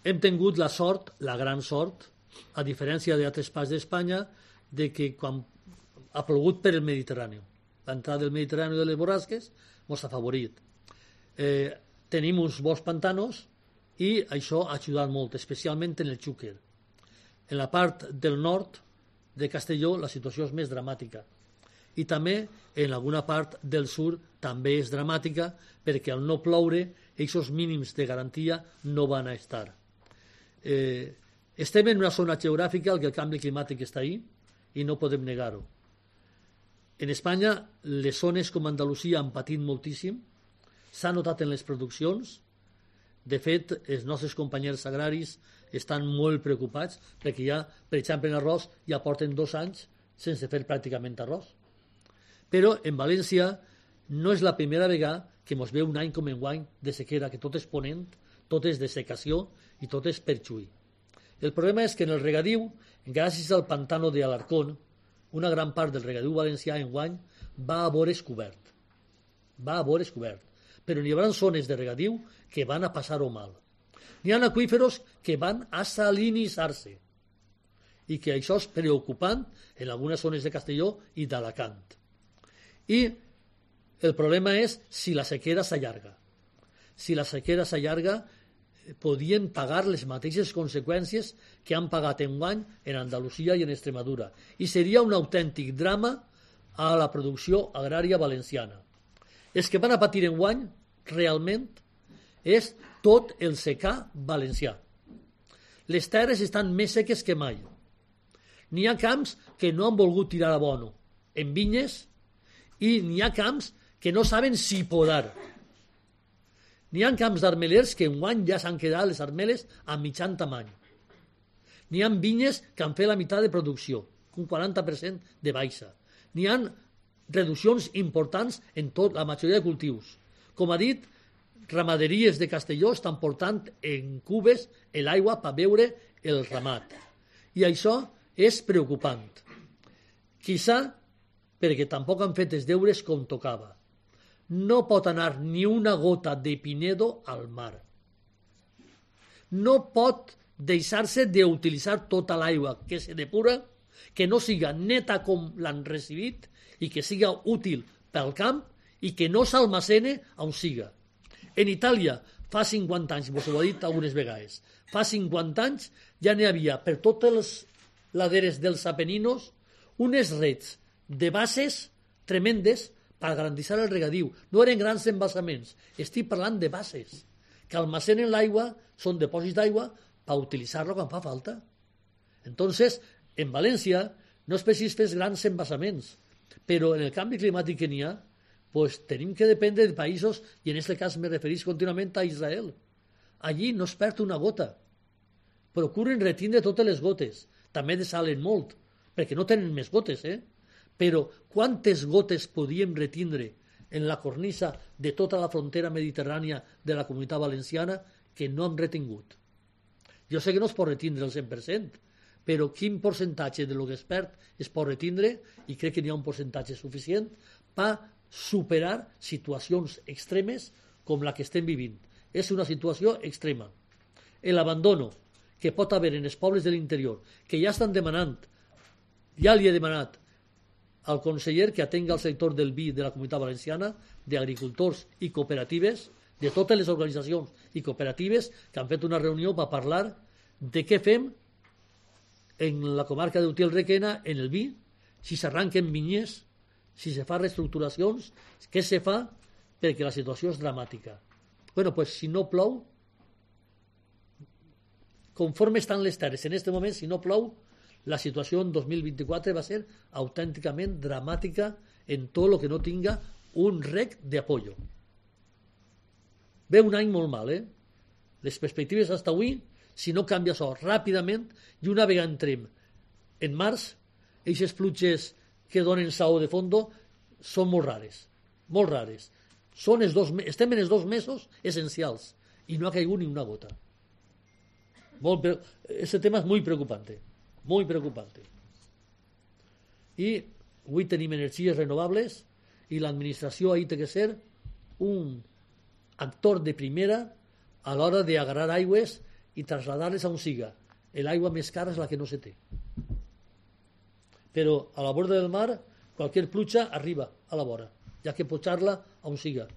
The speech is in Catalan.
hem tingut la sort, la gran sort, a diferència d'altres parts d'Espanya, de que quan ha plogut per el Mediterrani, l'entrada del Mediterrani de les borrasques ens ha afavorit. Tenim uns bons pantanos i això ha ajudat molt, especialment en el Xúquer. En la part del nord de Castelló la situació és més dramàtica i també en alguna part del sud també és dramàtica perquè al no ploure aquests mínims de garantia no van a estar. Estem en una zona geogràfica en què el canvi climàtic està ahí i no podem negar-ho. En Espanya les zones com Andalusia han patit moltíssim, s'ha notat en les produccions. De fet, els nostres companys agraris estan molt preocupats perquè ja, per exemple, en arròs ja porten 2 anys sense fer pràcticament arròs. Però en València no és la primera vegada que ens ve un any com enguany de sequera, que tot és ponent, tot és dessecació i tot és per xuí. El problema és que en el regadiu, gràcies al pantano d'Alarcón, una gran part del regadiu valencià enguany va a vores cobert. Però n'hi haurà zones de regadiu que van a passar-ho mal. N'hi ha aqüíferos que van a salinitzar-se i que això és preocupant en algunes zones de Castelló i d'Alacant. I el problema és si la sequera s'allarga. Si la sequera s'allarga, podien pagar les mateixes conseqüències que han pagat enguany en Andalusia i en Extremadura. I seria un autèntic drama a la producció agrària valenciana. Els que van a patir enguany, realment, és tot el secà valencià. Les terres estan més seques que mai. N'hi ha camps que no han volgut tirar abono en vinyes i n'hi ha camps que no saben si podar. N'hi ha camps d'armelers que enguany ja s'han quedat les armeles a mitjan tamany. N'hi ha vinyes que han fet la meitat de producció, un 40% de baixa. N'hi ha reduccions importants en la majoria de cultius. Com ha dit, ramaderies de Castelló estan portant en cubes l'aigua per beure el ramat. I això és preocupant. Quizà perquè tampoc han fet els deures com tocava. No pot anar ni una gota de Pinedo al mar. No pot deixar-se d'utilitzar tota l'aigua que se depura, que no siga neta com l'han recibit i que siga útil pel camp i que no s'almacene on siga. En Itàlia, fa 50 anys, vos ho he dit algunes vegades, fa 50 anys ja n'hi havia per totes les laderes dels Apeninos unes rets de bases tremendes per garantir el regadiu. No eren grans embassaments, estic parlant de bases que almacenen l'aigua, són dipòsits d'aigua per utilitzar-lo quan fa falta. Entonces, en València no és preciso fer grans embassaments, però en el canvi climàtic que n'hi ha, pues tenim que dependre de països, i en aquest cas me referís contínuament a Israel. Allí no es perd una gota. Procuren retindre totes les gotes. També desalen molt, perquè no tenen més gotes, Però quantes gotes podíem retindre en la cornisa de tota la frontera mediterrània de la Comunitat Valenciana que no hem retingut? Jo sé que no es pot retindre el 100%, però quin percentatge de lo que es perd es pot retindre, i crec que n'hi ha un percentatge suficient per superar situacions extremes com la que estem vivint. És una situació extrema. L'abandono que pot haver en els pobles de l'interior, que ja estan demanant, ja li he demanat al conseller que atenga el sector del vi de la Comunitat Valenciana, d'agricultors i cooperatives, de totes les organitzacions i cooperatives que han fet una reunió per parlar de què fem en la comarca d'Utiel-Requena en el vi, si s'arranquen vinyes, si se fa reestructuracions, què se fa, perquè la situació és dramàtica. Bueno, pues si no plou, conforme estan les terres en aquest moment, si no plou, la situació en 2024 va ser autènticament dramàtica en tot el que no tinga un rec d'apoyo. Ve un any molt mal, Les perspectives fins avui, si no canvia això ràpidament, i una vegada entrem en març, aquestes pluges que donen saó de fondo són molt rares, molt rares. Estem en els 2 mesos essencials i no ha caigut ni una gota. Este tema és molt preocupante. Muy preocupante. I avui tenim energies renovables i l'administració ahí té que ser un actor de primera a l'hora d'agarrar aigües i traslladar-les a un siga. L'aigua més cara és la que no se té. Però a la borda del mar, qualsevol pluja arriba a la vora, ja que pujar-la a un siga.